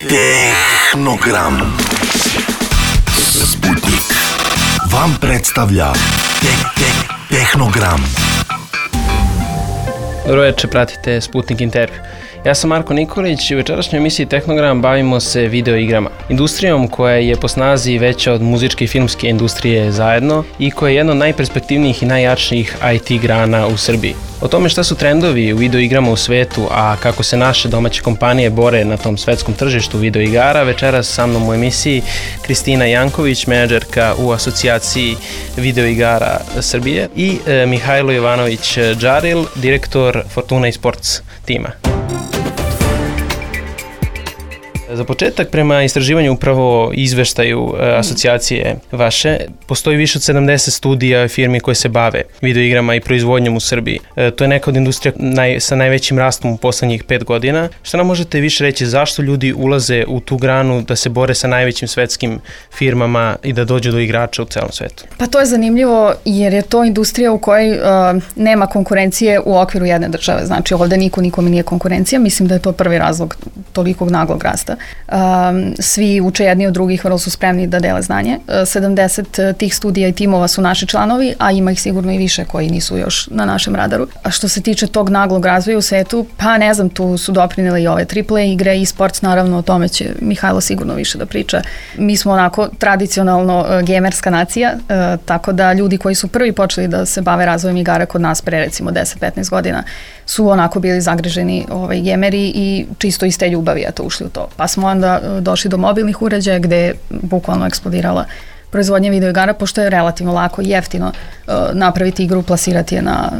Tehnogram. Sputnik vam predstavlja Tehnogram. Dobro večer, pratite Sputnik intervju. Ja sam Marko Nikolić i u večerašnjoj emisiji Tehnogram bavimo se video igrama. Industrijom koja je po snazi veća od muzičke i filmske industrije zajedno i koja je jedna od najperspektivnijih i najjačijih IT grana u Srbiji. O tome šta su trendovi u video igrama u svetu, a kako se naše domaće kompanije bore na tom svetskom tržištu video igara, večeras sa mnom u emisiji Kristina Janković, menadžerka u asocijaciji video igara Srbije, i Mihajlo Jovanović Džaril, direktor Fortuna Esports tima. Za početak, prema istraživanju upravo izveštaju asocijacije vaše, postoji više od 70 studija firmi koje se bave videoigrama i proizvodnjom u Srbiji. To je neka od industrija sa najvećim rastom u poslednjih 5 godina. Šta nam možete više reći, zašto ljudi ulaze u tu granu da se bore sa najvećim svetskim firmama i da dođu do igrača u celom svetu? Pa to je zanimljivo jer je to industrija u kojoj nema konkurencije u okviru jedne države. Znači ovde nikome nije konkurencija. Mislim da je to prvi razlog tolikog naglog rasta. Svi uče jedni od drugih, vrlo su spremni da dele znanje. 70 tih studija i timova su naši članovi, a ima ih sigurno i više koji nisu još na našem radaru. A što se tiče tog naglog razvoja u svetu, pa ne znam, tu su doprinele i ove AAA igre i sports, naravno, o tome će Mihajlo sigurno više da priča. Mi smo onako tradicionalno gamerska nacija, tako da ljudi koji su prvi počeli da se bave razvojem igara kod nas pre recimo 10-15 godina su onako bili zagriženi gameri i čisto iz te ljubavi ušli u to. Pa smo onda došli do mobilnih uređaja gde je bukvalno eksplodirala proizvodnja videoigara, pošto je relativno lako i jeftino napraviti igru, plasirati je na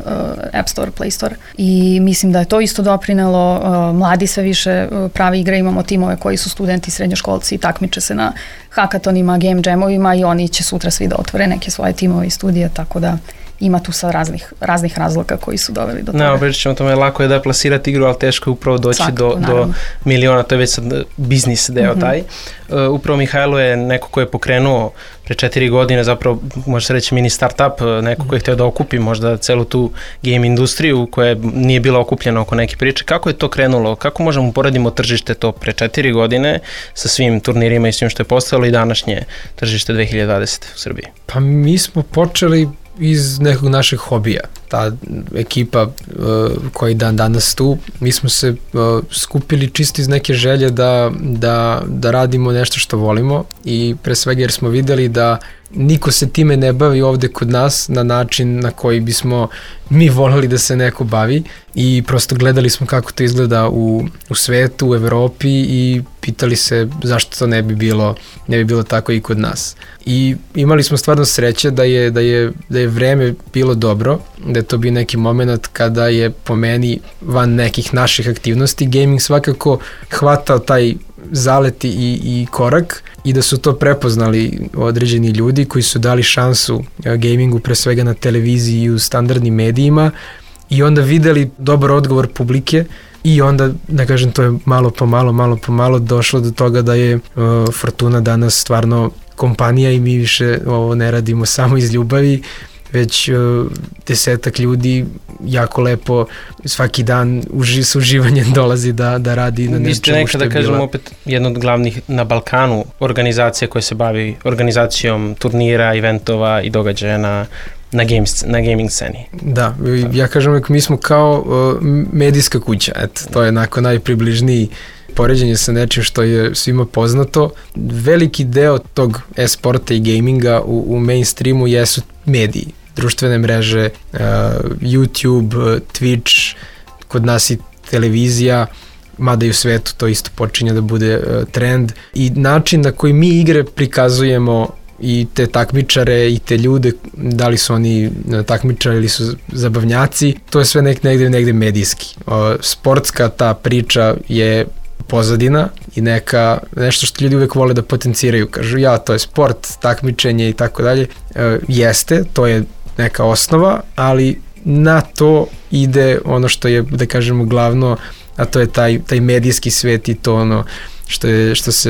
App Store, Play Store. I mislim da je to isto doprinelo. Mladi sve više prave igre, imamo timove koji su studenti, srednjoškolci i takmiče se na hakatonima, game jamovima i oni će sutra svi da otvore neke svoje timove i studije, tako da ima tu sa raznih razloga koji su doveli do toga. Pričat ćemo o tome, lako je da plasirati igru, ali teško je upravo doći do miliona, to je već sad biznis deo taj. Upravo Mihajlo je neko ko je pokrenuo pre 4 godine, zapravo može se reći mini startup, neko ko je htio da okupi možda celu tu game industriju koja nije bila okupljena oko neke priče. Kako je to krenulo? Kako možemo uporedimo tržište to pre 4 godine sa svim turnirima i svim što je postojalo i današnje tržište 2020. u Srbiji? Pa mi smo počeli iz nekog našeg hobija. Ta ekipa koji danas tu, mi smo se skupili čisto iz neke želje da radimo nešto što volimo i pre svega jer smo videli da niko se time ne bavi ovde kod nas na način na koji bismo mi voleli da se neko bavi i prosto gledali smo kako to izgleda u svetu, u Evropi i pitali se zašto to ne bi bilo tako i kod nas. I imali smo stvarno sreće da je vreme bilo dobro, da je to bio neki moment kada je po meni van nekih naših aktivnosti gaming svakako hvatao taj zalet i korak i da su to prepoznali određeni ljudi koji su dali šansu gamingu pre svega na televiziji i u standardnim medijima i onda videli dobar odgovor publike i onda, da kažem, to je malo po malo došlo do toga da je Fortuna danas stvarno kompanija i mi više ovo ne radimo samo iz ljubavi, već 10 ljudi jako lepo svaki dan s uživanjem dolazi da radi na nečemu što je bila. Vi ste nekada, kažem, opet jedna od glavnih na Balkanu organizacija koja se bavi organizacijom turnira, eventova i događaja na gaming sceni. Da, ja kažem, mi smo kao medijska kuća, to je onako najpribližniji poređenje sa nečim što je svima poznato. Veliki deo tog e-sporta i gaminga u mainstreamu jesu mediji, društvene mreže, YouTube, Twitch, kod nas i televizija, mada i u svetu to isto počinje da bude trend. I način na koji mi igre prikazujemo i te takmičare i te ljude, da li su oni takmičari ili su zabavnjaci, to je sve negde medijski. Sportska ta priča je pozadina i nešto što ljudi uvek vole da potenciraju. Kažu, to je sport, takmičenje i tako dalje. Jeste, to je neka osnova, ali na to ide ono što je, da kažemo, glavno, a to je taj medijski svet i to ono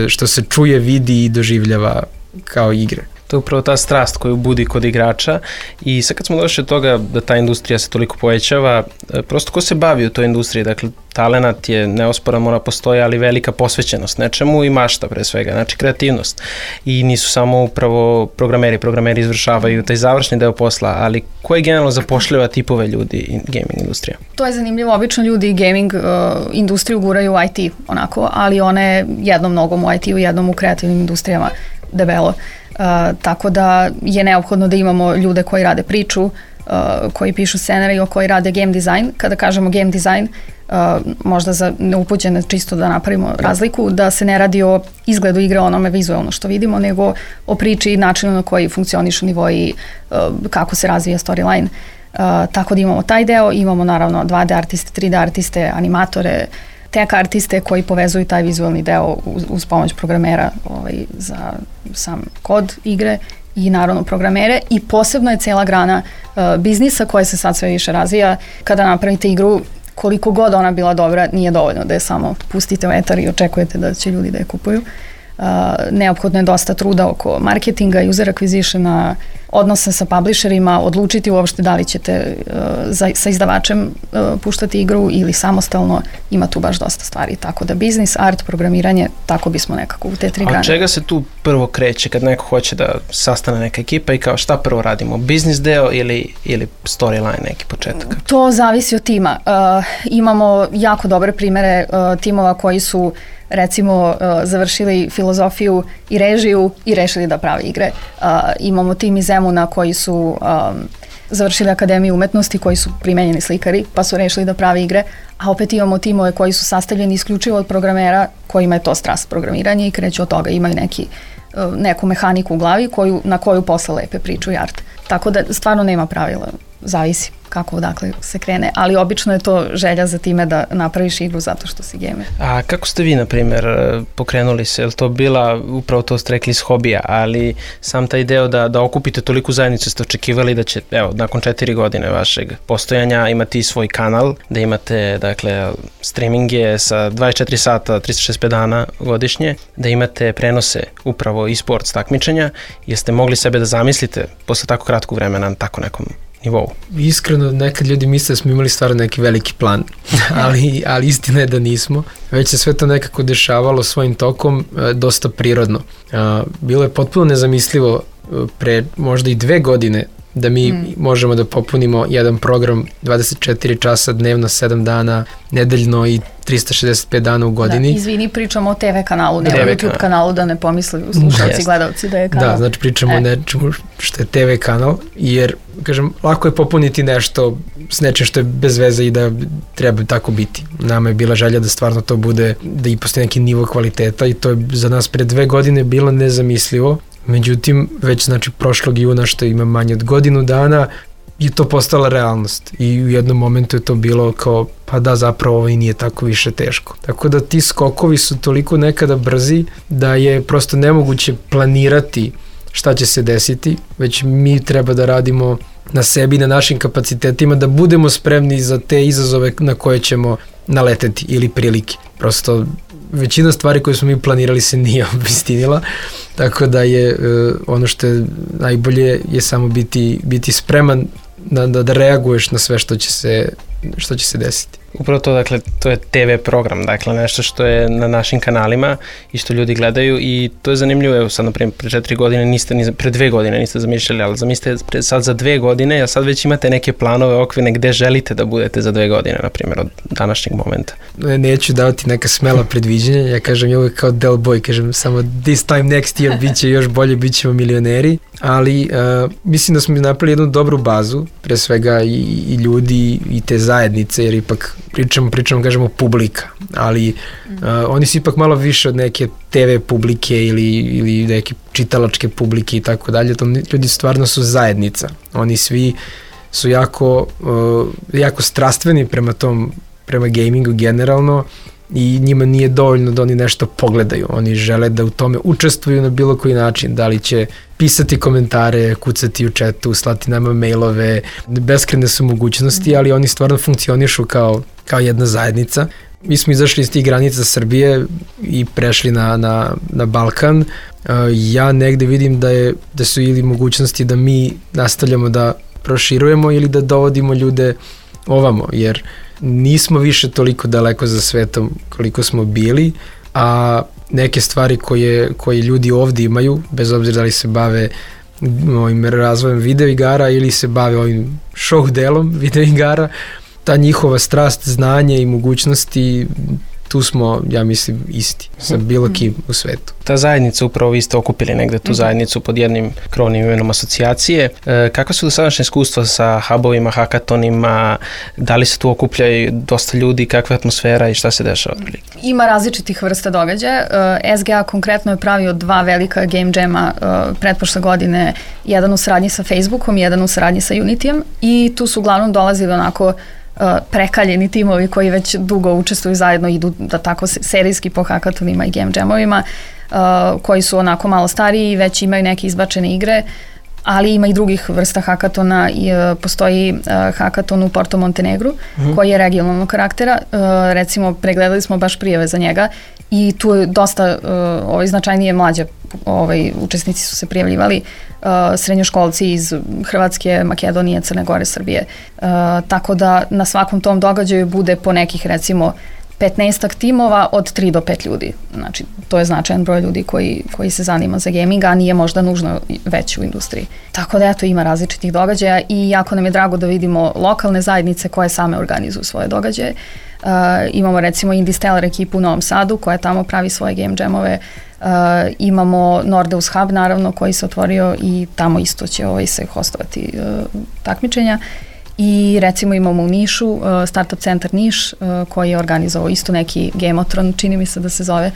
što se čuje, vidi i doživljava kao igre. To je upravo ta strast koju budi kod igrača i sad kad smo došli od toga da ta industrija se toliko povećava, prosto ko se bavi u toj industriji, dakle talenat je neosporan, mora postoji, ali velika posvećenost nečemu i mašta pre svega, znači kreativnost. I nisu samo upravo programeri izvršavaju taj završni deo posla, ali ko je generalno zapošljava tipove ljudi gaming industrija? To je zanimljivo, obično ljudi gaming industriju guraju u IT onako, ali one jednom nogom u IT-u, jednom u kreativnim industrijama debelo. Tako da je neophodno da imamo ljude koji rade priču, koji pišu scenarij, koji rade game design. Kada kažemo game design, možda za neupućene čisto da napravimo razliku, da se ne radi o izgledu igre, onome vizualno što vidimo, nego o priči i načinu na koji funkcionišu nivoji, kako se razvija storyline. Tako da imamo taj deo, imamo naravno 2D artiste, 3D artiste, animatore, tech artiste koji povezuju taj vizualni deo uz pomoć programera za sam kod igre i naravno programere i posebno je cela grana biznisa koja se sad sve više razvija. Kada napravite igru, koliko god ona bila dobra, nije dovoljno da je samo pustite u etar i očekujete da će ljudi da je kupuju. Neophodno je dosta truda oko marketinga, user acquisitiona, odnosa sa publisherima, odlučiti uopšte da li ćete sa izdavačem puštati igru ili samostalno, ima tu baš dosta stvari. Tako da biznis, art, programiranje, tako bismo nekako u te 3 grane. A čega se tu prvo kreće kad neko hoće da sastane neka ekipa i kao šta prvo radimo? Biznis deo ili storyline neki početak? To zavisi od tima. Imamo jako dobre primere timova koji su recimo završili filozofiju i režiju i rešili da prave igre. Imamo tim iz Zemuna koji su završili Akademiju umetnosti, koji su primenjeni slikari, pa su rešili da prave igre, a opet imamo timove koji su sastavljeni isključivo od programera kojima je to strast programiranje i kreću od toga, imaju neku mehaniku u glavi na koju posle lepe priču i art. Tako da stvarno nema pravila, zavisi kako odakle se krene, ali obično je to želja za time da napraviš igru zato što si gamer. A kako ste vi, na primjer, pokrenuli se? Je li to bila, upravo to ste rekli, iz hobija, ali sam taj deo da okupite toliku zajednicu, ste očekivali da će, evo, nakon 4 godine vašeg postojanja imati i svoj kanal, da imate, dakle, streaminge sa 24 sata, 365 dana godišnje, da imate prenose upravo e-sports takmičenja, jeste mogli sebe da zamislite posle tako kratkog vremena na tako nekom nivou? Iskreno, nekad ljudi misle da smo imali stvarno neki veliki plan, ali istina je da nismo. Već se sve to nekako dešavalo svojim tokom, dosta prirodno. Bilo je potpuno nezamislivo pre možda i 2 godine da mi možemo da popunimo jedan program 24 časa dnevno, 7 dana nedeljno i 365 dana u godini. Da, izvini, pričamo o TV kanalu, ne o YouTube kanalu, da ne pomisli slušalci i gledalci da je kanal. Da, znači pričamo o nečemu što je TV kanal, jer, kažem, lako je popuniti nešto s nečem što je bez veze i da treba tako biti. Nama je bila želja da stvarno to bude, da i postoji neki nivo kvaliteta i to je za nas pre 2 godine bilo nezamislivo. Međutim, već znači prošlog juna, što ima manje od godinu dana, je to postala realnost i u jednom momentu je to bilo kao, pa da, zapravo ovo i nije tako više teško. Tako da ti skokovi su toliko nekada brzi da je prosto nemoguće planirati šta će se desiti, već mi treba da radimo na sebi, na našim kapacitetima, da budemo spremni za te izazove na koje ćemo naleteti ili prilike. Prosto većina stvari koje smo mi planirali se nije obistinila, tako da je ono što je najbolje je samo biti spreman da reaguješ na sve što će se desiti. Upravo to, dakle, to je TV program, dakle, nešto što je na našim kanalima i što ljudi gledaju i to je zanimljivo, evo sad, naprimjer, pre 4 godine pre 2 godine niste zamišljali, ali zamislite sad za 2 godine, a sad već imate neke planove okvirne gde želite da budete za 2 godine, na primjer, od današnjeg momenta. Neću davati neka smela predviđenja, ja kažem je uvijek kao Del Boy, kažem samo this time next year bit će još bolje, bit ćemo milioneri, ali mislim da smo napravili jednu dobru bazu, pre svega i ljudi i te zajednice, jer ipak pričamo, kažemo, publika, ali oni su ipak malo više od neke TV publike ili neke čitalačke publike i tako dalje, to ljudi stvarno su zajednica, oni svi su jako strastveni prema gamingu generalno i njima nije dovoljno da oni nešto pogledaju, oni žele da u tome učestvuju na bilo koji način, da li će pisati komentare, kucati u chatu, slati nama mailove, beskrajne su mogućnosti, ali oni stvarno funkcionišu kao jedna zajednica. mi smo izašli iz tih granica Srbije i prešli na Balkan. Ja negde vidim da su ili mogućnosti da mi nastavljamo da proširujemo ili da dovodimo ljude ovamo, jer nismo više toliko daleko za svetom koliko smo bili, a neke stvari koje ljudi ovdje imaju, bez obzira da li se bave ovim razvojem videoigara ili se bave ovim show delom videoigara, ta njihova strast, znanje i mogućnosti, tu smo, ja mislim, isti sa bilo kim u svetu. Ta zajednica, upravo vi ste okupili negde tu zajednicu pod jednim krovnim imenom asocijacije. Kakva su dosadašnje iskustva sa hubovima, hakatonima, da li se tu okupljaju dosta ljudi, kakva je atmosfera i šta se dešava? Ima različitih vrsta događaja. SGA konkretno je pravio 2 velika game jama pretprošle godine, jedan u saradnji sa Facebookom, jedan u saradnji sa Unityjem i tu su uglavnom dolazili onako prekaljeni timovi koji već dugo učestvuju zajedno, idu da tako serijski po hakatonima i game jamovima, koji su onako malo stariji i već imaju neke izbačene igre, ali ima i drugih vrsta hakatona. Postoji hakaton u Porto Montenegru koji je regionalnog karaktera, recimo pregledali smo baš prijave za njega i tu je dosta značajnije mlađe učesnici su se prijavljivali, srednjoškolci iz Hrvatske, Makedonije, Crne Gore, Srbije, tako da na svakom tom događaju bude po nekih recimo 15 timova od 3 do 5 ljudi. Znači, to je značajan broj ljudi koji se zanima za gaming, a nije možda nužno već u industriji. Tako da, eto, ima različitih događaja i jako nam je drago da vidimo lokalne zajednice koje same organizuju svoje događaje. Imamo recimo Indie Stellar ekipu u Novom Sadu koja tamo pravi svoje game jamove. Imamo Nordeus Hub, naravno, koji se otvorio i tamo isto će se hostovati takmičenja. I recimo imamo u Nišu Startup Centar Niš koji je organizovao isto neki Gamotron, čini mi se da se zove.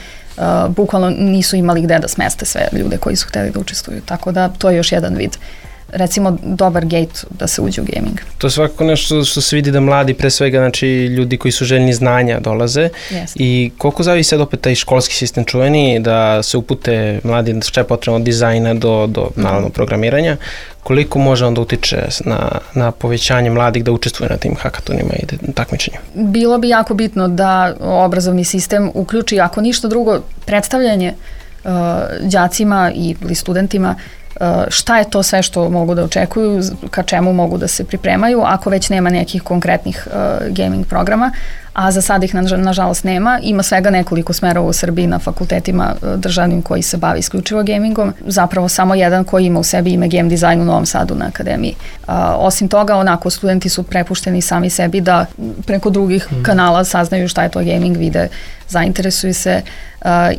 Bukvalno nisu imali gde da smeste sve ljude koji su hteli da učestvuju, tako da to je još jedan vid, recimo, dobar gate da se uđe u gaming. To je svakako nešto što se vidi da mladi, pre svega, znači ljudi koji su željni znanja dolaze. Yes. I koliko zavisi sad opet taj školski sistem čuveni da se upute mladi, šta je potrebno od dizajna do naravno programiranja, koliko može onda utiče na povećanje mladih da učestvuju na tim hakatonima i takmičenju? Bilo bi jako bitno da obrazovni sistem uključi, ako ništa drugo, predstavljanje đacima ili studentima šta je to sve što mogu da očekuju, ka čemu mogu da se pripremaju, ako već nema nekih konkretnih gaming programa, a za sad ih nažalost nema. Ima svega nekoliko smerova u Srbiji na fakultetima državnim koji se bavi isključivo gamingom, zapravo samo jedan koji ima u sebi ime game design u Novom Sadu na akademiji. Osim toga, onako, studenti su prepušteni sami sebi da preko drugih kanala saznaju šta je to gaming, vide, zainteresuju se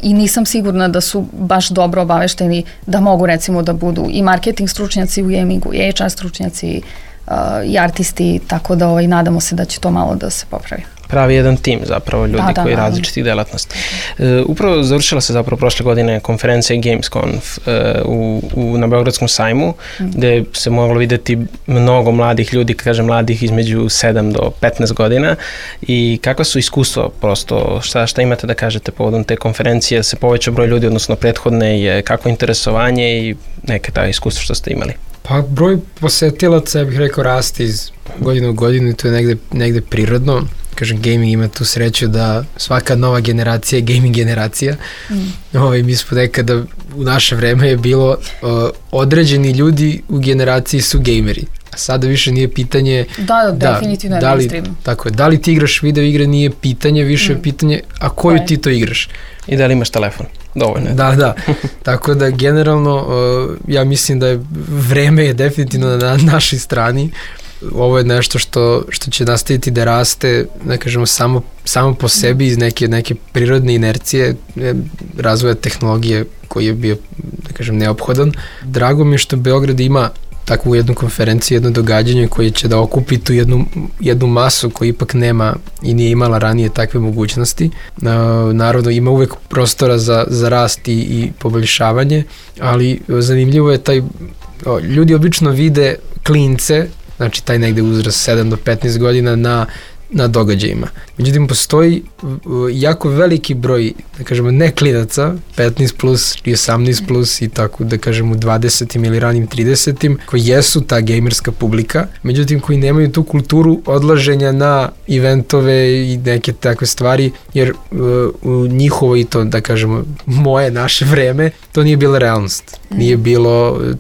i nisam sigurna da su baš dobro obavešteni da mogu recimo da budu i marketing stručnjaci u gamingu, i HR stručnjaci, i artisti, tako da nadamo se da će to malo da se popravi. Pravi jedan tim zapravo ljudi koji različitih delatnosti. Upravo završila se zapravo prošle godine konferencija Gamesconf na Beogradskom sajmu, gde se moglo videti mnogo mladih ljudi, kažem mladih između 7 do 15 godina i kakva su iskustva prosto, šta imate da kažete povodom te konferencije, se poveća broj ljudi odnosno prethodne, je kako interesovanje i neke ta iskustva što ste imali? Pa broj posetilaca, ja bih rekao, rasti iz godine u godinu i to je negde prirodno. Kažem, gaming ima tu sreću da svaka nova generacija je gaming generacija. Mi smo nekada, u naše vreme je bilo određeni ljudi u generaciji su gameri. A sada više nije pitanje... definitivno je mainstream. Tako je, da li ti igraš video igre nije pitanje, više je pitanje, a koju ti to igraš? I da li imaš telefon? Dovoljno je. Da. Tako da generalno ja mislim da je vreme je definitivno na našoj strani. Ovo je nešto što će nastaviti da raste, da kažemo, samo po sebi iz neke prirodne inercije razvoja tehnologije koji je bio, da kažem, neophodan. Drago mi je što Beograd ima takvu jednu konferenciju, jedno događanje koje će da okupi tu jednu masu koja ipak nema i nije imala ranije takve mogućnosti. Naravno, ima uvek prostora za rast i poboljšavanje, ali zanimljivo je ljudi obično vide klince, znači taj negde uzrast 7 do 15 godina na na događajima. Međutim, postoji jako veliki broj, da kažemo, ne klinaca, 15 plus i 18 plus i tako, da kažemo, 20. ili ranim 30. koji jesu ta gamerska publika, međutim, koji nemaju tu kulturu odlaženja na eventove i neke takve stvari, jer u njihovo i to, da kažemo, naše vreme, to nije bila realnost.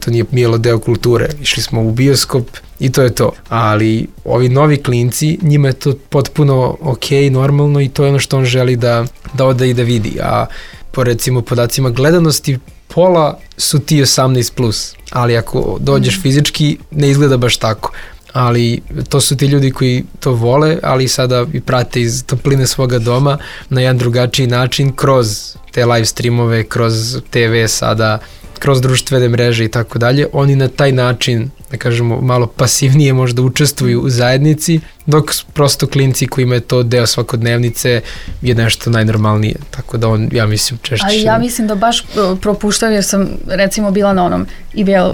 To nije bilo deo kulture. Išli smo u bioskop i to je to. Ali ovi novi klinci, njima je to potpuno okej, normalno i to je ono što on želi da ode i da vidi. A po recimo podacima gledanosti, pola su ti 18 plus. Ali ako dođeš fizički, ne izgleda baš tako. Ali to su ti ljudi koji to vole, ali sada i prate iz topline svoga doma na jedan drugačiji način kroz te live streamove, kroz TV sada, kroz društvene mreže i tako dalje. Oni na taj način, da kažemo, malo pasivnije možda učestvuju u zajednici, dok prosto klinci kojima je to deo svakodnevnice je nešto najnormalnije. Tako da on, ja mislim, češće... Ali ja mislim da baš propuštaju, jer sam recimo bila na onom IBL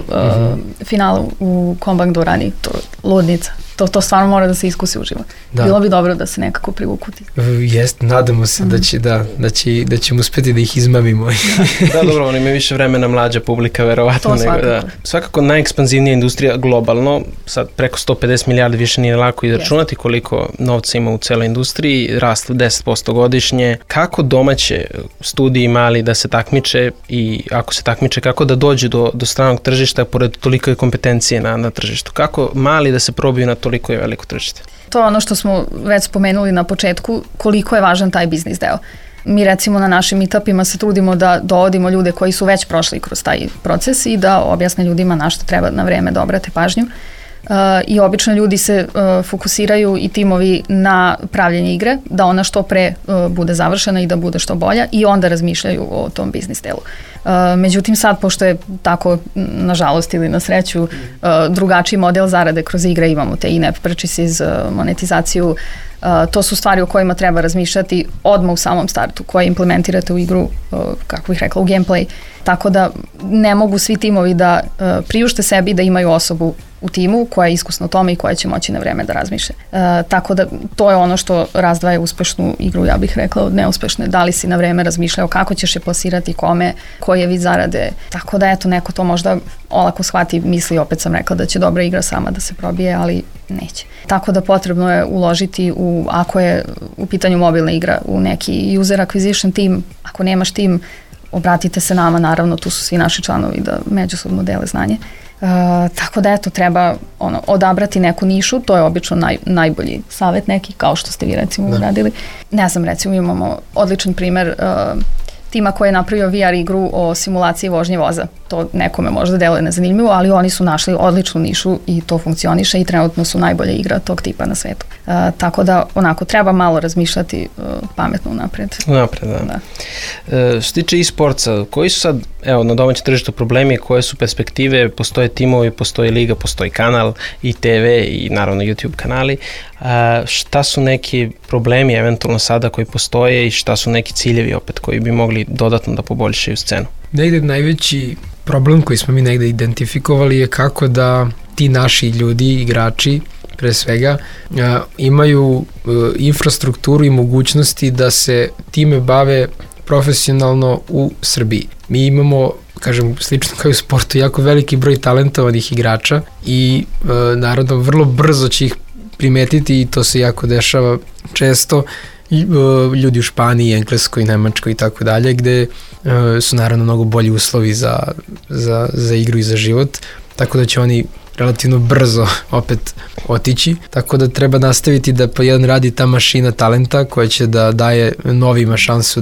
finalu u Kombank dvorani, to ludnica. To stvarno mora da se iskusi uživo. Da. Bilo bi dobro da se nekako privuku ti. Jeste, nadamo se da ćemo uspeti da ih izmamimo. Da, dobro, oni imaju više vremena, mlađa publika, verovatno. To svakako. Da. Svakako najekspanzivnija industrija globalno, sad preko 150 milijardi, više nije lako izračunati koliko novca ima u celoj industriji, rast 10% godišnje. Kako domaće studiji mali da se takmiče i ako se takmiče, kako da dođu do stranog tržišta pored toliko kompetencije na tržištu? Kako mali da se probiju na toliko je veliko tržište? To je ono što smo već spomenuli na početku, koliko je važan taj biznis deo. Mi recimo na našim meetupima se trudimo da dovodimo ljude koji su već prošli kroz taj proces i da objasne ljudima na što treba na vreme da obrate pažnju. I obično ljudi se fokusiraju i timovi na pravljenje igre, da ona što pre bude završena i da bude što bolja i onda razmišljaju o tom biznis delu. Međutim sad, pošto je tako, nažalost ili na sreću, drugačiji model zarade kroz igre, imamo te in-app purchases, monetizaciju, to su stvari o kojima treba razmišljati odmah u samom startu, koje implementirate u igru, kako bih rekla, u gameplay. Tako da ne mogu svi timovi da priušte sebi da imaju osobu u timu koja je iskusna u tome i koja će moći na vreme da razmišlja. Tako da to je ono što razdvaja uspešnu igru, ja bih rekla, od neuspešne. Da li si na vreme razmišljao kako ćeš je plasirati, kome, koji je vid zarade. Tako da eto, neko to možda olako shvati, misli, opet sam rekla da će dobra igra sama da se probije, ali neće. Tako da potrebno je uložiti ako je u pitanju mobilna igra, u neki user acquisition team. Ako nemaš tim, obratite se nama, naravno, tu su svi naši članovi da međusobno dele znanje. Tako da eto, treba odabrati neku nišu, to je obično najbolji savjet neki, kao što ste vi recimo uradili. Ne znam, recimo imamo odličan primer tima koji je napravio VR igru o simulaciji vožnje voza. To nekome možda deluje nezanimljivo, ali oni su našli odličnu nišu i to funkcioniše i trenutno su najbolja igra tog tipa na svetu. Tako da onako treba malo razmišljati pametno unapred. Unapred, da. Što tiče e-sportsa, koji su sad, evo, na domaćem tržištu problemi, koje su perspektive, postoje timovi, postoji liga, postoji kanal i TV i naravno YouTube kanali. Šta su neki problemi eventualno sada koji postoje i šta su neki ciljevi opet koji bi mogli dodatno da poboljšaju scenu? Negde najveći problem koji smo mi negde identifikovali je kako da ti naši ljudi, igrači, pre svega, imaju infrastrukturu i mogućnosti da se time bave profesionalno u Srbiji. Mi imamo, kažem, slično kao i u sportu, jako veliki broj talentovanih igrača i naravno vrlo brzo će ih primetiti i to se jako dešava često. Ljudi u Španiji, Engleskoj, Nemačkoj i tako dalje, gde su naravno mnogo bolji uslovi za igru i za život, tako da će oni relativno brzo opet otići, tako da treba nastaviti da po jedan radi ta mašina talenta koja će da daje novima šansu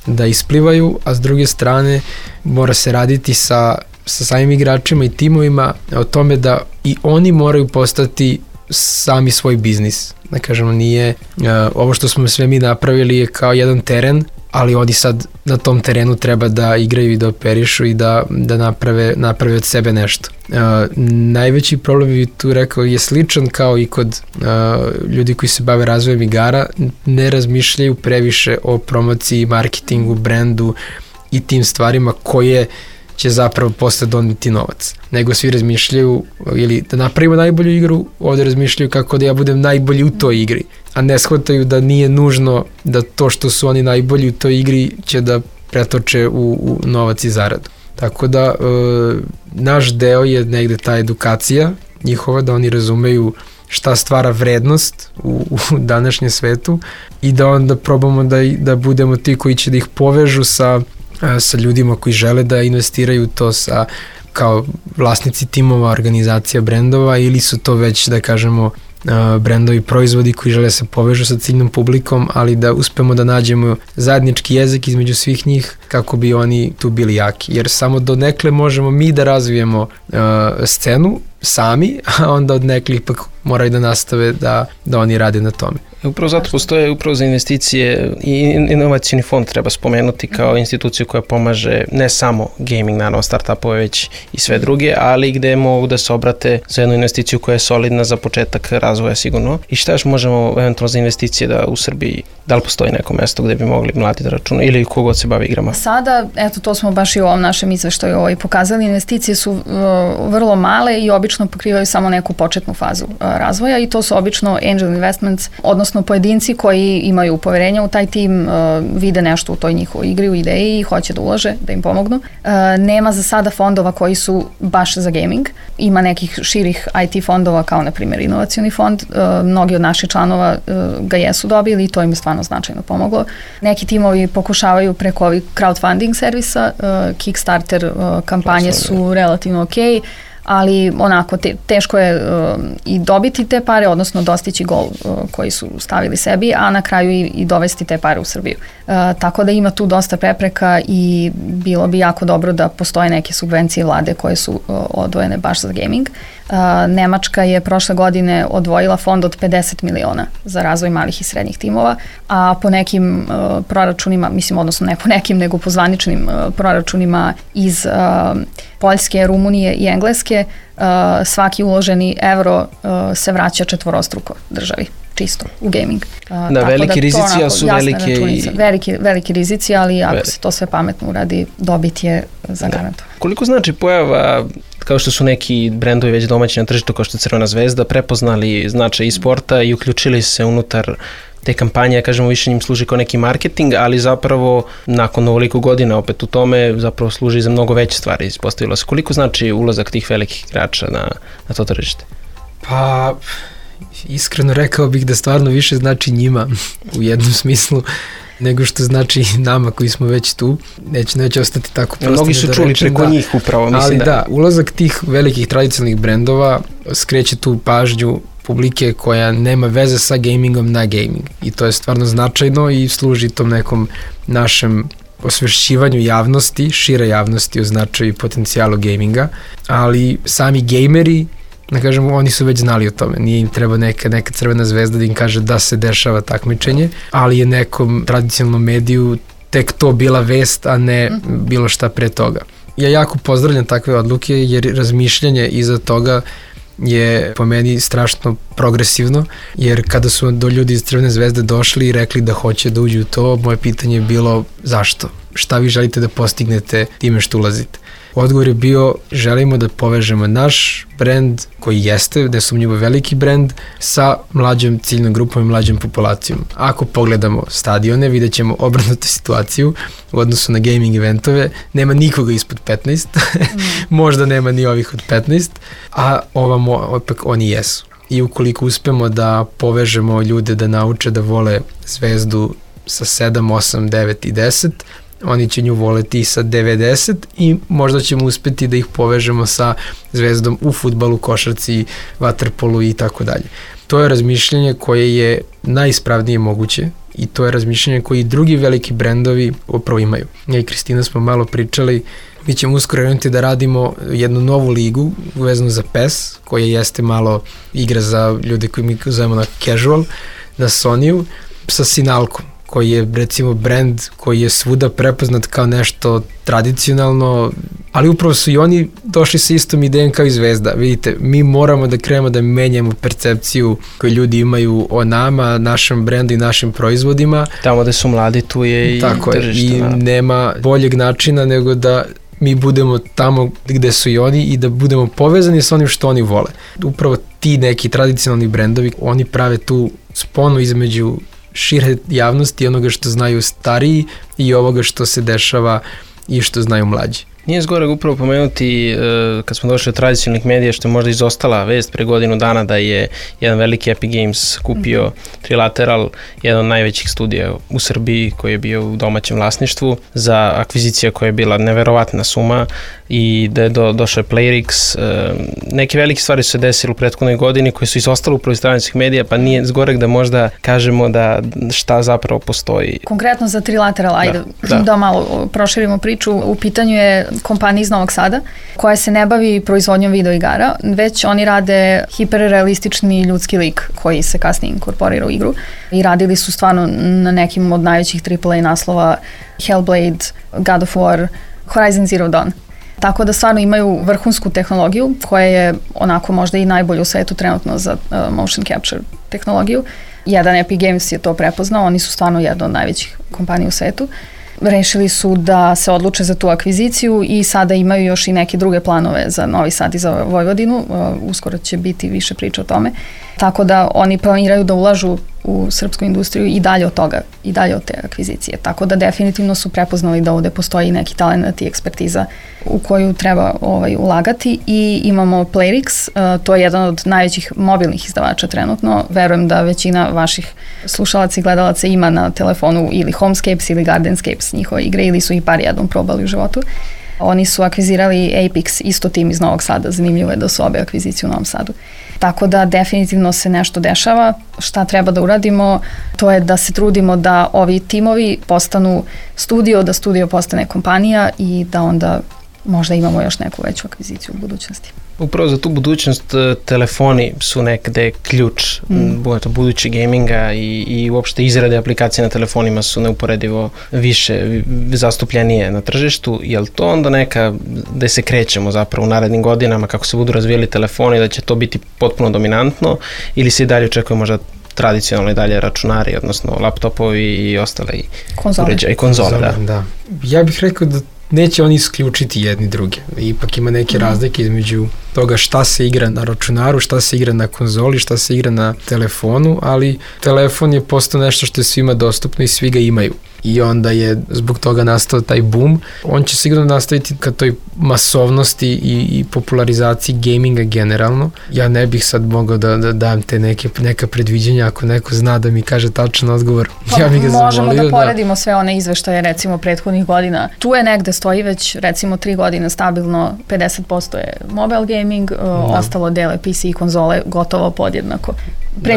da isplivaju, a s druge strane mora se raditi sa samim igračima i timovima o tome da i oni moraju postati sami svoj biznis. Da kažemo, nije, ovo što smo sve mi napravili je kao jedan teren, ali oni sad na tom terenu treba da igraju i da operišu i da naprave od sebe nešto. Najveći problem, bi tu rekao, je sličan kao i kod ljudi koji se bave razvojem igara, ne razmišljaju previše o promociji, marketingu, brendu i tim stvarima koje će zapravo posle doneti novac. Nego svi razmišljaju, ili da napravimo najbolju igru, ovde razmišljaju kako da ja budem najbolji u toj igri, a ne shvataju da nije nužno da to što su oni najbolji u toj igri će da pretoče u novac i zaradu. Tako da naš deo je negde ta edukacija njihova, da oni razumeju šta stvara vrednost u današnjem svetu i da onda probamo da budemo ti koji će da ih povežu sa ljudima koji žele da investiraju to kao vlasnici timova, organizacija brendova, ili su to već, da kažemo, brendovi, proizvodi koji žele se povežu sa ciljnom publikom, ali da uspemo da nađemo zajednički jezik između svih njih kako bi oni tu bili jaki. Jer samo do nekle možemo mi da razvijemo scenu sami, a onda od nekli ipak moraju da nastave da oni rade na tome. Upravo zato postoje upravo za investicije i inovacijni fond treba spomenuti kao instituciju koja pomaže ne samo gaming, naravno startupove, već i sve druge, ali gde mogu da se obrate za jednu investiciju koja je solidna za početak razvoja sigurno. I šta još možemo eventualno za investicije da u Srbiji, da li postoji neko mesto gde bi mogli mladi da računaju ili kogod se bavi igrama? Sada, eto, to smo baš i u ovom našem izveštaju pokazali, investicije su vrlo male i obično pokrivaju samo neku početnu fazu razvoja i to su obično angel investments, odnosno pojedinci koji imaju poverenja u taj tim, vide nešto u toj njihovoj igri, u ideji i hoće da ulože, da im pomognu. Nema za sada fondova koji su baš za gaming. Ima nekih širih IT fondova kao na primjer inovacioni fond. Mnogi od naših članova ga jesu dobili i to im je stvarno značajno pomoglo. Neki timovi pokušavaju preko ovih crowdfunding servisa, Kickstarter kampanje su relativno okej, ali onako teško je i dobiti te pare, odnosno dostići gol koji su stavili sebi, a na kraju i dovesti te pare u Srbiju. Tako da ima tu dosta prepreka i bilo bi jako dobro da postoje neke subvencije vlade koje su odvojene baš za gaming. Nemačka je prošle godine odvojila fond od 50 miliona za razvoj malih i srednjih timova, a po nekim proračunima, mislim, odnosno ne po nekim, nego po zvaničnim proračunima iz Poljske, Rumunije i Engleske, svaki uloženi evro se vraća četvorostruko državi, čisto u gaming. Da, veliki rizici, a su veliki rizici, ali ako se to sve pametno uradi, dobit je zagarantovan. Koliko znači pojava, kao što su neki brendovi već domaći na tržištu, kao što je Crvena zvezda, prepoznali značaj e-sporta i uključili se unutar te kampanje, kažemo, više njim služi kao neki marketing, ali zapravo nakon ovoliko godina opet u tome zapravo služi za mnogo veće stvari, ispostavilo se. Koliko znači ulazak tih velikih igrača na to tržište? Pa, iskreno rekao bih da stvarno više znači njima u jednom smislu nego što znači nama koji smo već tu. Neće ostati tako prosto. Mnogi su čuli preko njih upravo, mislim. Ali da, ulazak tih velikih tradicionalnih brendova skreće tu pažnju publike koja nema veze sa gamingom na gaming. I to je stvarno značajno i služi tom nekom našem osvešćivanju javnosti, šire javnosti o značaju i potencijalu gaminga, ali sami gameri, da kažemo, oni su već znali o tome. Nije im treba neka Crvena zvezda da im kaže da se dešava takmičenje, ali je nekom tradicionalnom mediju tek to bila vest, a ne bilo šta pre toga. Ja jako pozdravljam takve odluke jer razmišljanje iza toga je po meni strašno progresivno, jer kada su do ljudi iz Crvene zvezde došli i rekli da hoće da uđu u to, moje pitanje je bilo zašto? Šta vi želite da postignete time što ulazite? Odgovor je bio, želimo da povežemo naš brend koji jeste, nesumnjivo veliki brend, sa mlađom ciljnom grupom i mlađom populacijom. Ako pogledamo stadione, vidjet ćemo obrnutu situaciju u odnosu na gaming eventove. Nema nikoga ispod 15, možda nema ni ovih od 15, a ovamo opet oni jesu. I ukoliko uspemo da povežemo ljude da nauče da vole zvezdu sa 7, 8, 9 i 10, oni će nju voleti sa 90 i možda ćemo uspeti da ih povežemo sa zvezdom u fudbalu, košarci, vaterpolu i tako dalje. To je razmišljanje koje je najispravnije moguće i to je razmišljanje koje i drugi veliki brendovi upravo imaju. Ja i Kristina smo malo pričali, mi ćemo uskoro krenuti da radimo jednu novu ligu vezanu za PES, koja jeste malo igra za ljude koji mi zovemo na casual, na Sony-u, sa Sinalkom, koji je recimo brend koji je svuda prepoznat kao nešto tradicionalno, ali upravo su i oni došli sa istom idejom kao i Zvezda. Vidite, mi moramo da krenemo da menjamo percepciju koju ljudi imaju o nama, našem brendu i našim proizvodima. Tamo gde su mladi, tu je i tako tržište. I nema boljeg načina nego da mi budemo tamo gde su i oni i da budemo povezani sa onim što oni vole. Upravo ti neki tradicionalni brendovi, oni prave tu sponu između šire javnosti, onoga što znaju stariji i ovoga što se dešava i što znaju mlađi. Nije zgoreg upravo pomenuti, kad smo došli od tradicionalnih medija, što je možda izostala vest pre godinu dana da je jedan veliki Epic Games kupio Trilateral, jedan od najvećih studija u Srbiji koji je bio u domaćem vlasništvu, za akvizicija koja je bila neverovatna suma i da je došao Playrix. Neke velike stvari su se desile u prethodnoj godini koje su izostale upravo iz tradicionalnih medija, pa nije zgoreg da možda kažemo da šta zapravo postoji. Konkretno za Trilateral, ajde da malo proširimo priču. U pitanju je kompanija iz Novog Sada koja se ne bavi proizvodnjom videoigara, već oni rade hiperrealistični ljudski lik koji se kasnije inkorporira u igru i radili su stvarno na nekim od najvećih AAA naslova Hellblade, God of War, Horizon Zero Dawn. Tako da stvarno imaju vrhunsku tehnologiju koja je onako možda i najbolja u svetu trenutno za motion capture tehnologiju. Jedan Epic Games je to prepoznao, oni su stvarno jedna od najvećih kompanija u svetu. Rešili su da se odluče za tu akviziciju i sada imaju još i neke druge planove za Novi Sad i za Vojvodinu. Uskoro će biti više priča o tome. Tako da oni planiraju da ulažu u srpsku industriju i dalje od toga, i dalje od te akvizicije. Tako da definitivno su prepoznali da ovde postoji neki talent i ekspertiza u koju treba ulagati i imamo Playrix, to je jedan od najvećih mobilnih izdavača trenutno. Verujem da većina vaših slušalaca i gledalaca ima na telefonu ili Homescapes ili Gardenscapes njihove igre ili su i par jednom probali u životu. Oni su akvizirali Apex, isto tim iz Novog Sada, zanimljivo je da su obe akvizicije u Novom Sadu. Tako da definitivno se nešto dešava. Šta treba da uradimo, to je da se trudimo da ovi timovi postanu studio, da studio postane kompanija i da onda možda imamo još neku veću akviziciju u budućnosti. Upravo za tu budućnost telefoni su nekde ključ budući gaminga i uopšte izrade aplikacije na telefonima su neuporedivo više zastupljenije na tržištu. Je li to onda neka da se krećemo zapravo u narednim godinama kako se budu razvijeli telefoni, da će to biti potpuno dominantno ili se i dalje očekuje možda tradicionalno i dalje računari, odnosno laptopovi i ostale uređaje i konzole? Da. Ja bih rekao da neće oni isključiti jedni druge. Ipak ima neke razlike između toga šta se igra na računaru, šta se igra na konzoli, šta se igra na telefonu, ali telefon je postao nešto što je svima dostupno i svi ga imaju. I onda je zbog toga nastao taj boom. On će sigurno nastaviti ka toj masovnosti i popularizaciji gaminga generalno. Ja ne bih sad mogao da dam te neka predviđenja, ako neko zna da mi kaže tačan odgovor. Ja bih ga zamolio. Možemo da poredimo sve one izveštaje recimo prethodnih godina. Tu je negde stoji već recimo 3 godine stabilno 50% je mobile gaming, ostalo dele PC i konzole gotovo podjednako.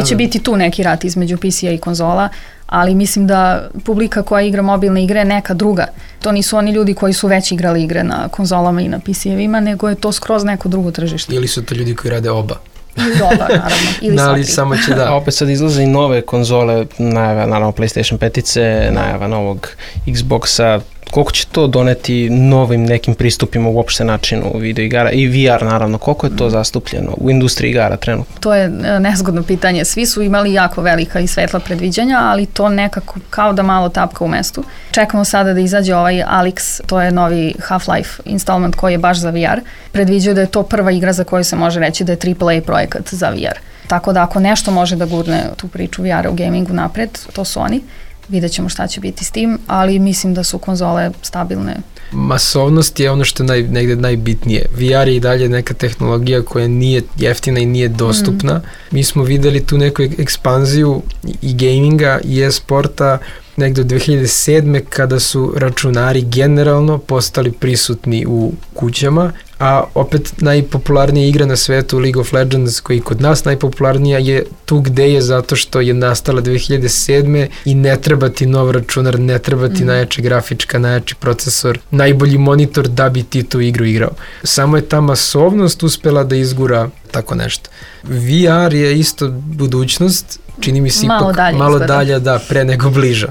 Će biti tu neki rat između PC-a i konzola, ali mislim da publika koja igra mobilne igre je neka druga. To nisu oni ljudi koji su već igrali igre na konzolama i na PC-evima, nego je to skroz neko drugo tržište. Ili su to ljudi koji rade oba. Ili oba, naravno. Ili ali samo će da. A opet sad izlaze i nove konzole, najava naravno PlayStation 5, najava novog Xboxa. Koliko će to doneti novim nekim pristupima uopšte načinu videoigara i VR naravno, koliko je to zastupljeno u industriji igara trenutno? To je nezgodno pitanje. Svi su imali jako velika i svetla predviđanja, ali to nekako kao da malo tapka u mestu. Čekamo sada da izađe ovaj Alyx, to je novi Half-Life installment koji je baš za VR. Predviđaju da je to prva igra za koju se može reći da je AAA projekat za VR. Tako da ako nešto može da gurne tu priču VR-a u gamingu napred, to su oni. Vidjet ćemo šta će biti s tim, ali mislim da su konzole stabilne. Masovnost je ono što je negde najbitnije. VR je i dalje neka tehnologija koja nije jeftina i nije dostupna. Mi smo videli tu neku ekspanziju i gaminga i e-sporta negde od 2007. kada su računari generalno postali prisutni u kućama, a opet najpopularnija igra na svetu League of Legends, koji kod nas najpopularnija, je tu gde je zato što je nastala 2007. i ne treba ti nov računar, ne treba ti najjača grafička, najjači procesor, najbolji monitor da bi ti tu igru igrao. Samo je ta masovnost uspela da izgura tako nešto. VR je isto budućnost čini mi se Malo ipak dalje malo izgleda. dalje, da, pre nego bliža.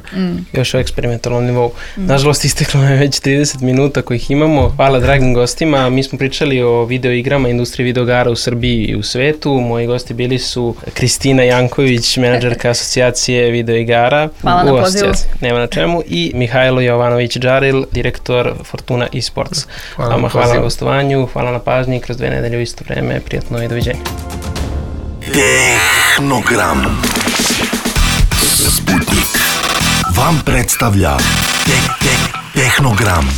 Još u eksperimentalnom nivou. Nažalost, isteklo je već 30 minuta kojih imamo. Hvala dragim gostima. Mi smo pričali o videoigrama, industriji videoigara u Srbiji i u svetu. Moji gosti bili su Kristina Janković, menadžerka asocijacije videoigara. Hvala na pozivu. Nema na čemu. I Mihajlo Jovanović-Džaril, direktor Fortuna eSports. Hvala Vama na hvala na pozivu. gostovanju, hvala na pažnji. Kroz 2 nedelje u isto vreme. Prijatno i doviđenja. Tehnogram. Sputnik vam predstavlja Tehnogram.